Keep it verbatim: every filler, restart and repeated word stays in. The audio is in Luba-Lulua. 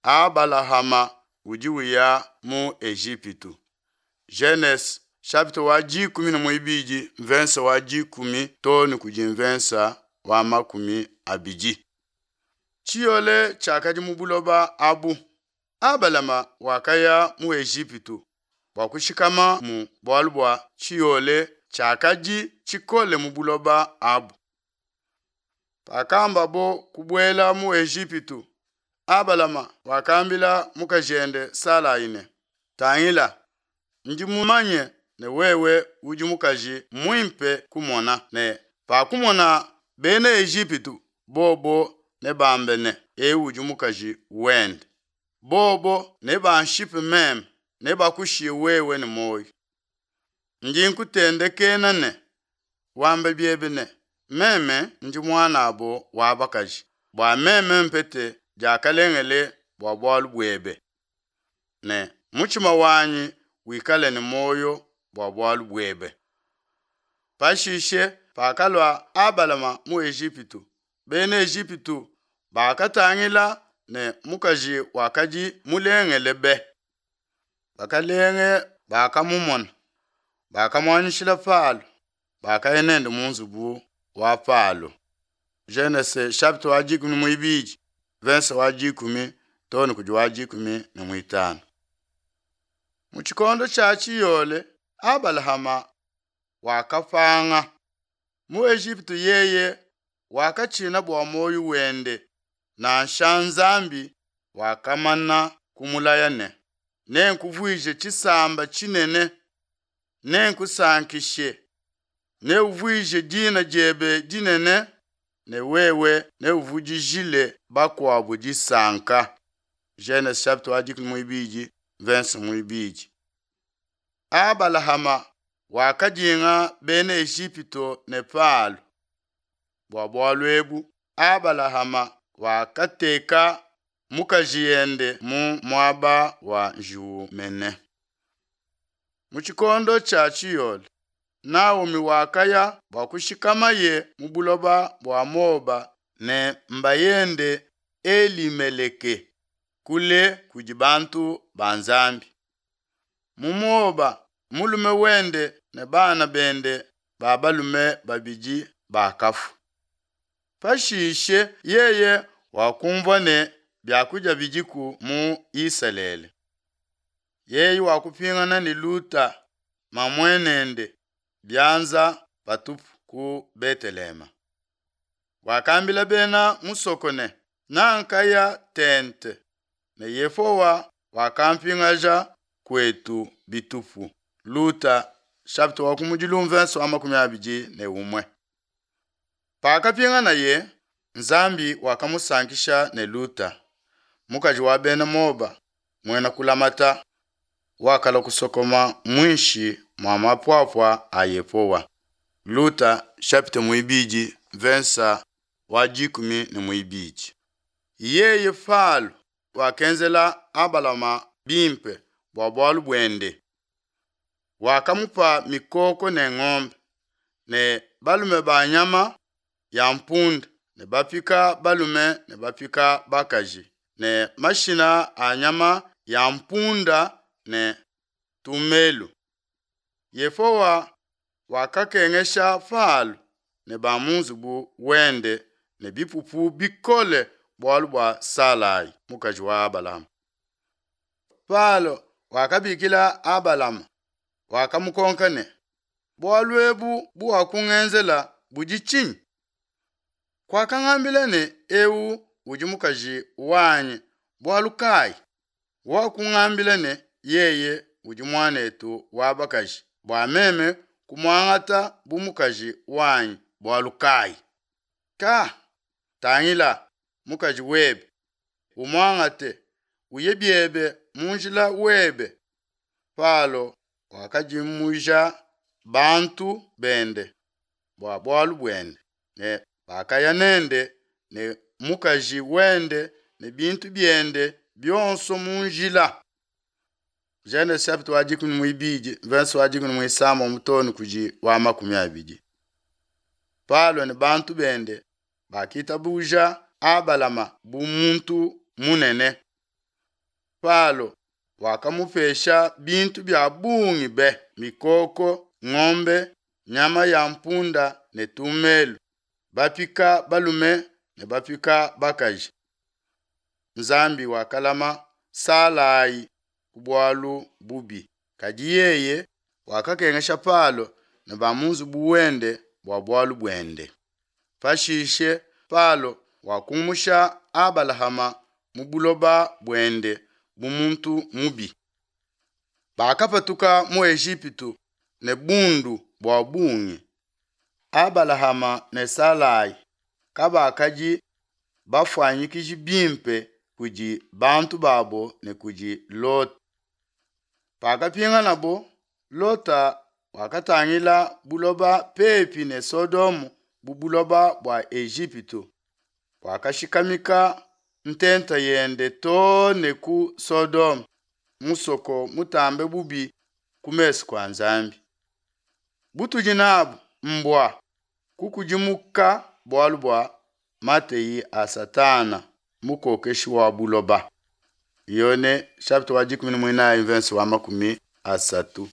Abalahama udi uya mu Ejipitu. Genese chapitre wa dikumi ne muibidi mvensa wa dikumi too ne kudi mvensa wa makumi abidi. Tshiyole tshiakadi mu buloba abu. Abalama wakaya mu Ejipitu bua kushikamamu bualu bua tshiyole tshiakadi tshikole mu buloba abu. Pakambabo kubuela mu Ejipitu, Abalama wakambila mukajende Salai ne, Tangila, ndi mumanye ne wewe udi mukaji muimpe kumona, ne pakumona Bena Ejipitu, bobo nebambe ne, Ewu udi mukaji wende. Bobo nebanshipe meme, nebakushiye wewe ne muoyo. Ndi nkutendekena ne, Wambe biebe ne, Meme ndi muanabo wa bakaji, bua meme mpete diakalengele bua bualu buebe, ne mutshima wanyi wikale ne muoyo bua bualu buebe. Pashishe pakalua Abalama mu Ejipitu, Bena Ejipitu bakatangila ne mukaji wakadi mulengele be. Bakalenge bakamumona, bakamuanyishila Palo, bakaya nende mu nzubu wa Palo. Genese chapitre wa dikumi ne muibidi verse wa dikumi too ne kudi wa dikumi ne muitanu. Mu tshikondo tshia tshiyole Abalahama wakapanga. Mu Ejipitu yeye wakatshina bua muoyo wende nansha Nzambi wakamana kumulaya ne, Nenkuvuije tshisamba tshinene, nenkusankishe, neuvuije dina diebe dinene ne wewe neuvudijile bakuabu disanka. Genese chapitre wa dikumi muibidi verse muibidi. Abalahama wakadinga bena Ejipitu ne Palo. Bua bualu ebu Abalahama wakateka mukajiende mu muaba wa njiwu mene. Mu tshikondo tshia tshiyole, Naomi wakaya bua kushikamaye mu buloba bua Moaba ne mbayende Elimeleke kule kudi bantu ba Nzambi. Mu Moaba mulume wende ne bana bende ba balume babidi bakafua. Pashishe yeye wakumvua ne biakudia bidiku mu Isalele. Yeye wakupingana ne Luta mamuenende bianza patupu ku Beteleheme. Wakambila bena musoko ne, Nankaya tente ne Yehowa wakampingaja kuetu bitupu. Luta chapitre wa kumudilu verse wa makumi abidi ne umue. Pakapinganaye, Nzambi wakamusankisha ne Luta, mukaji wa bena Moaba, muena kulamata, wakalua kusokoma muinshi mua mapuapua a Yehowa. Luta chapitre muibidi verse wa dikumi ne muibidi. Yeye Palo wakenzela Abalama bimpe bua bualu buende. Wakamupa mikoko ne ngombe ne balume ba nyama ya mpunda ne bapika balume ne bapika bakaji ne mashina a nyama ya mpunda ne tumelu. Yehowa wakakengesha Palo ne ba mu nzubu wende ne bipupu bikole bualu bua Salai mukaji wa Abalama. Palo wakabikila Abalama wakamukonka ne, bualu ebu buwakungenzela budi tshinyi? Kuakangambila ne, ewu udi mukaji wanyi bualu kayi? Wakungambila ne, yeye udi muanetu wa bakaji bua meme kumuangata bu mukaji wanyi bualu kayi? Ka, tangila mukaji webe, umuangate, uye biebe mu njila webe. Palo wakadimuja bantu bende bua bualu buende ne bakaya nende ne mukaji wende ne bintu biende bionso mu njila. Genese chapitre wa dikumi muibidi verse wa dikumi muisambombo too ne kudi wa makumi abidi. Palo ne bantu bende bakitabuja Abalama bu muntu munene. Palo wakamupesha bintu bia bungi be, mikoko, ngombe, nyama ya mpunda ne tumelu, bapika balume ne bapika bakaji. Nzambi wakalama Salai ku bualu bubi, kadi yeye wakakengesha Palo ne ba mu nzubu wende bua bualu buende. Pashishe Palo wakumusha Abalahama mu buloba buende bu muntu mubi. Bakapatuka mu Ejipitu ne bundu bua bungi. Abalahama ne Salai kabakadi bafuanyikiji bimpe kudi bantu babo ne kudi Lota. Pakapinganabo, Lota wakatangila buloba pepi ne Sodome bu buloba bua Ejipitu, wakashikamika ntenta yende too ne ku Sodome, musoko mutambe bubi ku mesu kua Nzambi. Butudi nabu mbua kukudimuka bualu bua mateyi a Satana mukokeshi wa buloba. Yone chapitre wa dikumi ne muinayi verse wa makumi asatu.